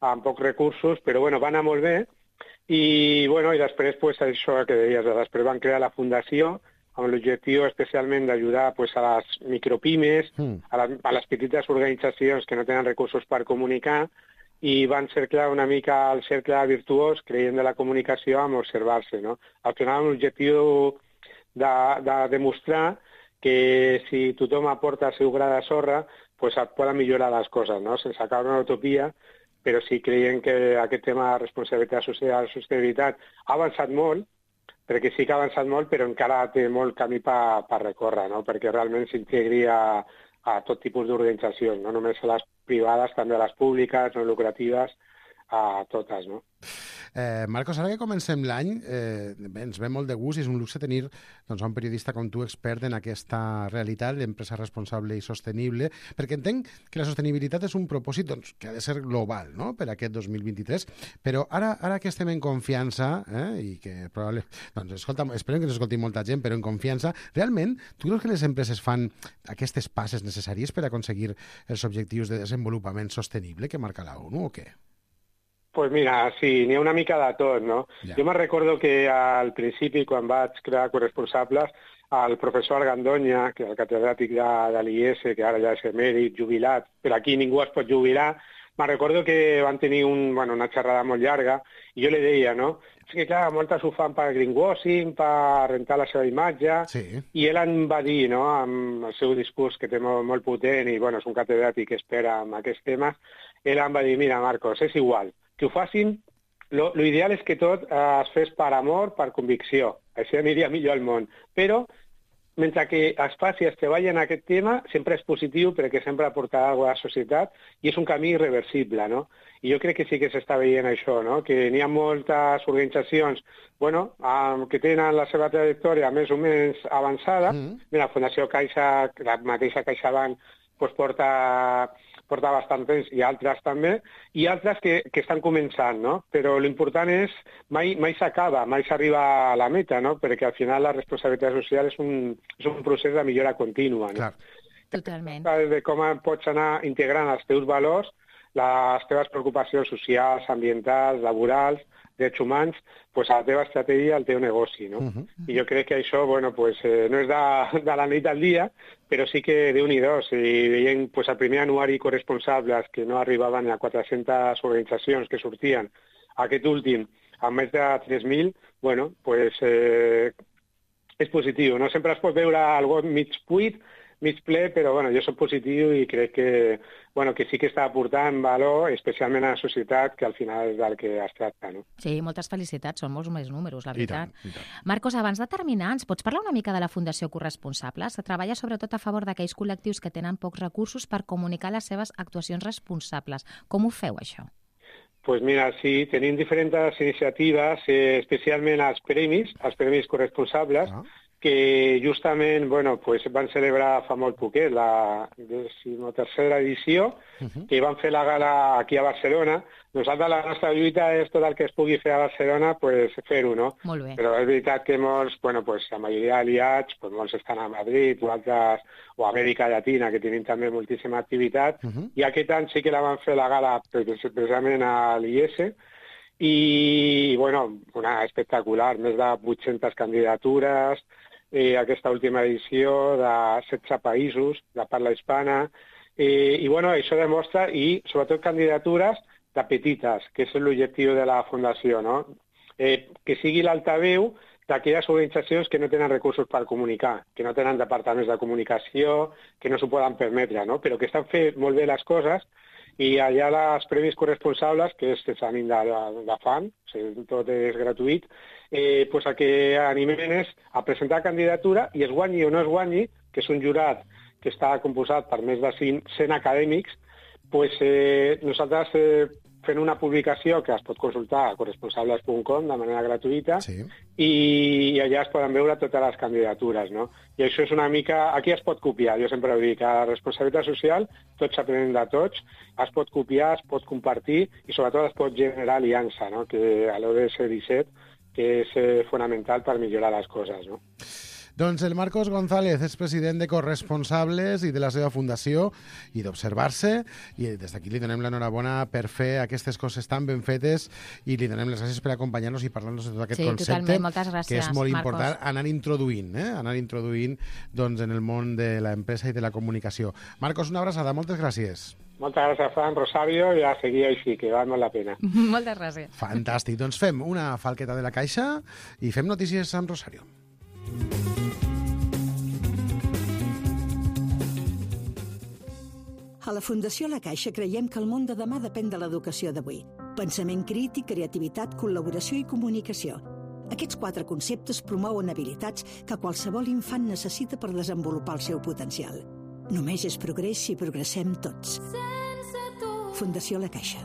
amb pocs recursos, però va anar molt bé, i després això que deies, després van crear la fundació, amb l'objectiu especialment d'ajudar a les micropimes, a les petites organitzacions que no tenen recursos per comunicar, i van cerclar una mica el cercle virtuós, creient de la comunicació, amb observar-se, no? Al final, amb l'objectiu de demostrar que si tothom aporta el seu gra de sorra, es poden millorar les coses, no? Sense caure en una utopia, però sí creiem que aquest tema de responsabilitat social i sostenibilitat ha avançat molt, perquè sí que ha avançat molt, però encara té molt camí per recórrer, no? Perquè realment s'integri a tot tipus d'organitzacions, no només a les privades, també a les públiques, no lucratives, a totes, no? Marcos, ara que comencem l'any, ens ve molt de gust i és un luxe tenir un periodista com tu expert en aquesta realitat d'empresa responsable i sostenible, perquè entenc que la sostenibilitat és un propòsit que ha de ser global, no?, per aquest 2023, però ara que estem en confiança, i que probablement, esperem que ens escolti molta gent, però en confiança, realment, tu creus que les empreses fan aquestes passes necessàries per aconseguir els objectius de desenvolupament sostenible que marca la ONU o què? Pues mira, sí, n'hi ha una mica de tot, no? Ja. Jo me'n recordo que al principi, quan vaig crear corresponsables, el professor Argandoña, que és el catedràtic de l'IES, que ara ja és emèrit, jubilat, però aquí ningú es pot jubilar, me'n recordo que van tenir una xerrada molt llarga, i jo li deia, no? És que, clar, moltes ho fan per greenwashing, per rentar la seva imatge, i ell em va dir, no?, amb el seu discurs, que té molt potent, i és un catedràtic que espera amb aquests temes, ell em va dir, mira, Marcos, és igual, que ho facin, l'ideal és que tot es fes per amor, per convicció. Així aniria millor al món. Però, mentre que es faci, es treballi en aquest tema, sempre és positiu perquè sempre aportarà alguna cosa a la societat i és un camí irreversible, no? I jo crec que sí que s'està veient això, no? Que n'hi ha moltes organitzacions que tenen la seva trajectòria més o menys avançada. Mira, la Fundació Caixa, la mateixa CaixaBank, porta bastant temps, i altres també, i altres que estan començant, no? Però l'important és, mai s'acaba, mai s'arriba a la meta, no? Perquè al final la responsabilitat social és un procés de millora contínua, no? Clar. Totalment. De com pots anar integrant els teus valors, les teves preocupacions socials, ambientals, laborals, drets humans, a la teva estratègia, al teu negoci, no? I jo crec que això, no és de la nit al dia, però sí que Déu-n'hi-do, si veiem el primer anuari corresponsables que no arribaven a 400 organitzacions que sortien, aquest últim amb més de 3.000, és positiu, no? Sempre es pot veure algo mig buit, mig ple, però jo soc positiu i crec que sí que està aportant valor, especialment a la societat, que al final és del que es tracta, no? Sí, moltes felicitats, són molts més números, la veritat. I tant. Marcos, abans de terminar, ens pots parlar una mica de la Fundació Corresponsables, que treballa sobretot a favor d'aquells col·lectius que tenen pocs recursos per comunicar les seves actuacions responsables. Com ho feu, això? Pues mira, sí, tenim diferents iniciatives, especialment els premis corresponsables, que justament van celebrar fa molt poquet la 13ª edició, que van fer la gala aquí a Barcelona. Nosaltres la nostra lluita és tot el que es pugui fer a Barcelona, fer-ho, no? Molt bé. Però és veritat que molts, la majoria d'aliats, molts estan a Madrid o altres, o a Amèrica Llatina, que tenim també moltíssima activitat, i aquest any sí que la van fer la gala precisament a l'IES, i, una espectacular, més de 800 candidatures, aquesta última edició de 16 països de parla hispana, i això demostra, i sobretot candidatures de petites, que és l'objectiu de la Fundació, no? Que sigui l'altaveu d'aquelles organitzacions que no tenen recursos per comunicar, que no tenen departaments de comunicació, que no s'ho poden permetre, no? Però que estan fent molt bé les coses I allà els premis corresponsables, que és l'examen de fan, tot és gratuït, pues el que animen és a presentar candidatura i es guanyi o no es guanyi, que és un jurat que està composat per més de 100 acadèmics, pues, nosaltres fent una publicació que es pot consultar a corresponsables.com de manera gratuïta i allà es poden veure totes les candidatures, no? I això és una mica... Aquí es pot copiar, jo sempre ho dic, a la responsabilitat social tots s'aprenen de tots, es pot copiar, es pot compartir i sobretot es pot generar aliança, no? Que a l'ODS 17, que és fonamental per millorar les coses, no? Doncs el Marcos González és president de Corresponsables i de la seva fundació i d'Observar-se, i des d'aquí li donem l'enhorabona per fer aquestes coses tan ben fetes i li donem les gràcies per acompanyar-nos i parlar-nos de tot aquest concepte, gràcies, que és molt Marcos. important anar introduint doncs, en el món de l'empresa i de la comunicació. Marcos, una abraçada, moltes gràcies. Moltes gràcies, Fran, Rosario, i a seguir així, que val molt la pena. Moltes gràcies. Fantàstic, doncs fem una falqueta de la caixa i fem notícies amb Rosario. A la Fundació La Caixa creiem que el món de demà depèn de l'educació d'avui. Pensament crític, creativitat, col·laboració i comunicació. Aquests 4 conceptes promouen habilitats que qualsevol infant necessita per desenvolupar el seu potencial. Només és progrés si progressem tots. Fundació La Caixa.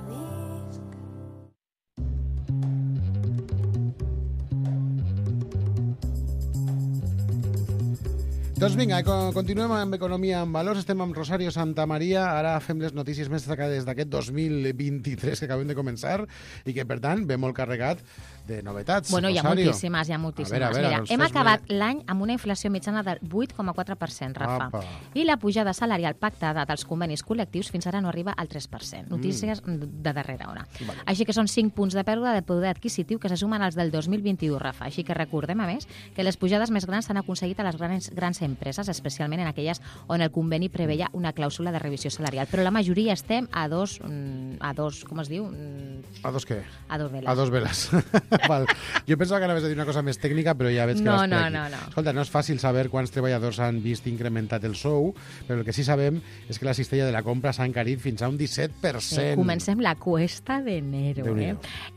Doncs vinga, continuem amb Economia en Valors. Estem amb Rosario Santamaria. Ara fem les notícies més destacades d'aquest 2023 que acabem de començar i que, per tant, ve molt carregat de novetats. Bueno, Rosario. Hi ha moltíssimes. A veure, Mira, hem acabat l'any amb una inflació mitjana del 8,4%, Rafa. Apa. I la pujada salarial pactada dels convenis col·lectius fins ara no arriba al 3%. Notícies de darrera hora. Vale. Així que són 5 punts de pèrdua de poder adquisitiu que se sumen als del 2021, Rafa. Així que recordem, a més, que les pujades més grans s'han aconseguit a les grans empreses, especialment en aquelles on el conveni preveia una clàusula de revisió salarial. Però la majoria estem a dos com es diu? A dos què? A dos veles. A dos veles. Val. Jo pensava que anaves a dir una cosa més tècnica, però ja veig que vas per aquí. No. Escolta, no és fàcil saber quants treballadors han vist incrementat el sou, però el que sí sabem és que la cistella de la compra s'ha encarit fins a un 17%. Sí, comencem la cuesta d'enero.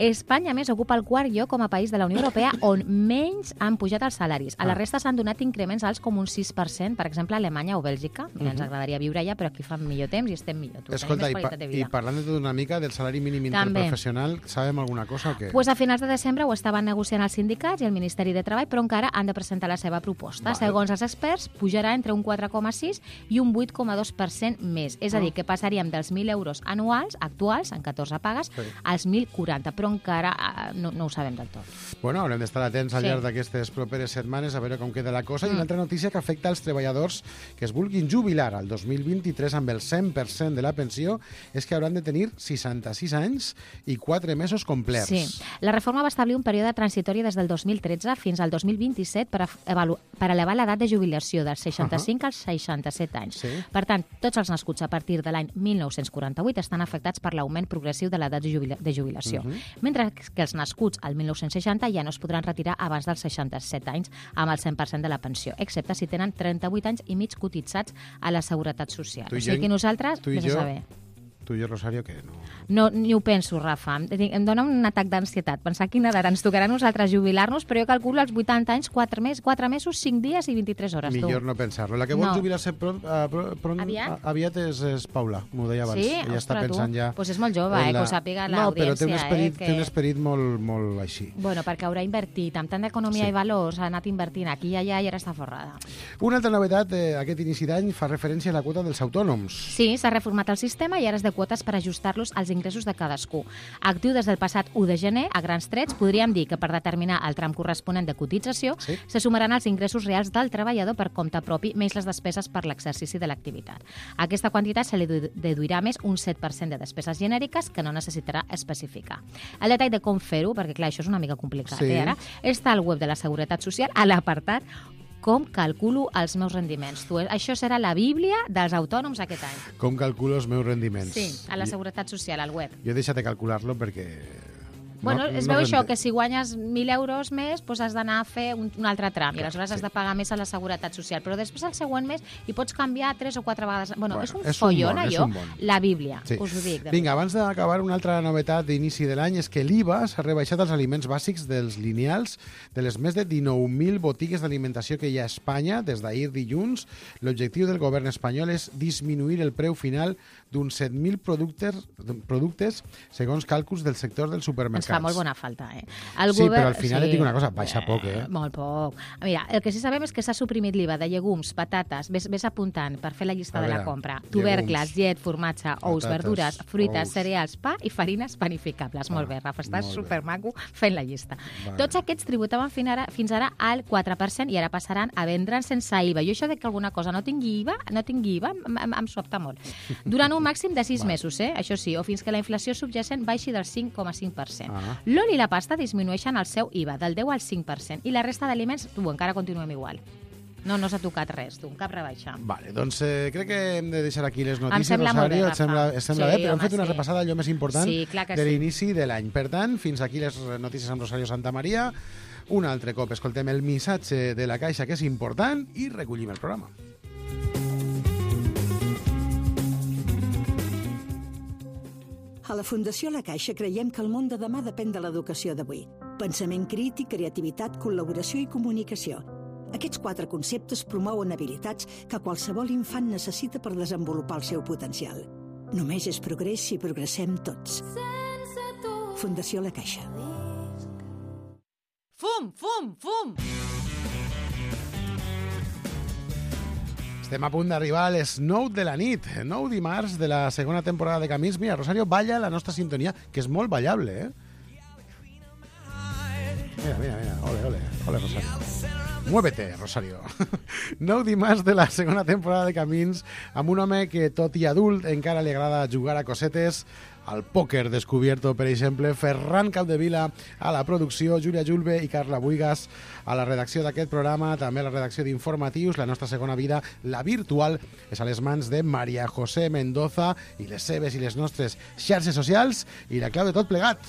Espanya, més, ocupa el quart lloc com a país de la Unió Europea on menys han pujat els salaris. A la resta s'han donat increments alts com un 6%, per exemple, a Alemanya o Bèlgica. Ens agradaria viure allà, però aquí fan millor temps i estem millor. Escolta, i parlant de tot una mica del salari mínim interprofessional, sabem alguna cosa o què? Pues a finals de desembre ho estaven negociant els sindicats i el Ministeri de Treball, però encara han de presentar la seva proposta. Segons els experts, pujarà entre un 4,6 i un 8,2% més. És a dir, que passaríem dels 1.000 euros anuals, actuals, en 14 pagues, als 1.040, però encara no ho sabem del tot. Bueno, haurem d'estar atents al llarg d'aquestes properes setmanes a veure com queda la cosa. I una altra notícia que afecta als treballadors que es vulguin jubilar al 2023 amb el 100% de la pensió és que hauran de tenir 66 anys i 4 mesos complerts. Sí. La reforma va establir un període transitori des del 2013 fins al 2027 per elevar l'edat de jubilació dels 65 als 67 anys. Per tant, tots els nascuts a partir de l'any 1948 estan afectats per l'augment progressiu de l'edat de jubilació, mentre que els nascuts al 1960 ja no es podran retirar abans dels 67 anys amb el 100% de la pensió, excepte si tenen 38 anys i mig cotitzats a la Seguretat Social. O sigui que nosaltres, vés a saber. Tu i jo, Rosario, què? No, ni ho penso, Rafa. Em dona un atac d'ansietat. Pensar quina edat ens tocarà a nosaltres jubilar-nos, però jo calculo als 80 anys, 4 mesos, 5 dies i 23 hores. Millor no pensar-lo. La que vol jubilar-se aviat és Paula, m'ho deia abans. Sí? Ella està pensant ja... Doncs és molt jove, que ho sàpiga l'audiència. No, però té un esperit molt així. Bueno, perquè haurà invertit. Amb tant d'economia i valors ha anat invertint aquí i allà i ara està forrada. Una altra novetat aquest inici d'any fa referència a la quota dels autònoms. Sí, s'ha reformat el sistema i ara és de quotes per ajustar-los als ingressos de cadascú. Actiu des del passat 1 de gener, a grans trets, podríem dir que per determinar el tram corresponent de cotització se sumaran els ingressos reals del treballador per compte propi més les despeses per l'exercici de l'activitat. A aquesta quantitat se li deduirà més un 7% de despeses genèriques que no necessitarà especificar. El detall de com fer-ho, perquè clar, això és una mica complicat, ara, està al web de la Seguretat Social a l'apartat com calculo els meus rendiments. Això serà la bíblia dels autònoms aquest any. Com calculo els meus rendiments. Sí, a la Seguretat Social, al web. Jo he deixat de calcular-lo perquè Bueno, es veu això, que si guanyes 1.000 euros més, doncs has d'anar a fer un altre tram, i aleshores has de pagar més a la Seguretat Social. Però després, el següent mes, hi pots canviar 3 o 4 vegades. Bueno, és un follon, allò, la Bíblia, us ho dic. Vinga, abans d'acabar, una altra novetat d'inici de l'any és que l'IVA s'ha rebaixat als aliments bàsics dels lineals de les més de 19.000 botigues d'alimentació que hi ha a Espanya des d'ahir dilluns. L'objectiu del govern espanyol és disminuir el preu final d'uns 7.000 productes segons càlculs del sector dels supermercats. Ens fa molt bona falta, Sí, però al final et dic una cosa, baixa poc, Molt poc. Mira, el que sí sabem és que s'ha suprimit l'IVA de llegums, patates, ves apuntant per fer la llista de la compra, tubercles, llet, formatge, ous, verdures, fruites, cereals, pa i farines panificables. Molt bé, Rafa, estàs supermaco fent la llista. Tots aquests tributaven fins ara al 4% i ara passaran a vendre'n sense IVA. Jo això de que alguna cosa no tingui IVA em sobta molt. Durant un màxim de 6 mesos, això sí, o fins que la inflació subjacent baixi del 5,5%. L'oli i la pasta disminueixen el seu IVA del 10 al 5% i la resta d'aliments, encara continuem igual. No s'ha tocat res, cap rebaixa. Vale, doncs crec que hem de deixar aquí les notícies, Rosario. Et sembla bé? Però hem fet una repassada allò més important de l'inici de l'any. Per tant, fins aquí les notícies amb Rosario Santamaría. Un altre cop escoltem el missatge de la Caixa, que és important, i recollim el programa. A la Fundació La Caixa creiem que el món de demà depèn de l'educació d'avui. Pensament crític, creativitat, col·laboració i comunicació. Aquests 4 conceptes promouen habilitats que qualsevol infant necessita per desenvolupar el seu potencial. Només és progrés si progressem tots. Fundació La Caixa. Fum, fum, fum! Estem a punt d'arribar a les 9 de la nit, 9 dimarts de la segona temporada de Camins. Mira, Rosario balla la nostra sintonia, que és molt ballable, Mira, ole, Rosario. Muévete, Rosario. 9 dimarts de la segona temporada de Camins, amb un home que, tot i adult, encara li agrada jugar a cosetes, al pòquer descobierto, per exemple, Ferran Capdevila a la producció, Júlia Julve i Carla Buigas a la redacció d'aquest programa, també a la redacció d'informatius. La nostra segona vida, la virtual, és a les mans de Maria José Mendoza i les seves i les nostres xarxes socials i la clau de tot plegat.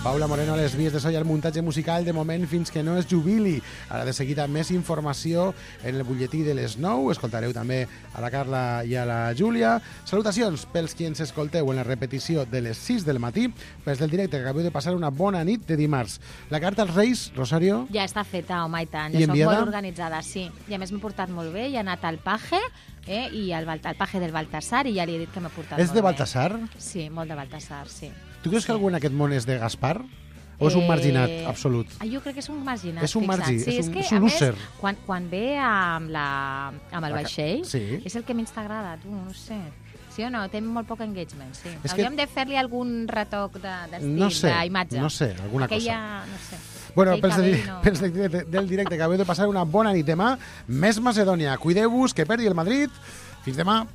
Paula Moreno a les vies de so i el muntatge musical, de moment fins que no es jubili. Ara de seguida més informació en el butlletí de les 9. Escoltareu també a la Carla i a la Júlia. Salutacions pels qui ens escolteu en la repetició de les 6 del matí, pels del directe, que acabeu de passar una bona nit de dimarts. La carta als Reis, Rosario? Ja està feta, home, i tant. Jo soc molt organitzada, sí. I a més m'he portat molt bé, i he anat al Paje, i al Paje del Baltasar, i ja li he dit que m'he portat molt bé. És de Baltasar? Sí, molt de Baltasar, sí. Tu creus que algú en aquest món és de Gaspar? O és un marginat absolut? Jo crec que és un marginat. És un marginat, sí, és un loser. Quan ve amb el vaixell, és el que menys t'agrada, tu, no sé. Sí o no? Té molt poc engagement, sí. Hauríem de fer-li algun retoc d'estil, d'imatge. No sé, alguna cosa. No sé. Bueno, pels del directe, que acabeu de passar una bona nit. Demà, més Macedònia. Cuideu-vos, que perdi el Madrid. Fins demà.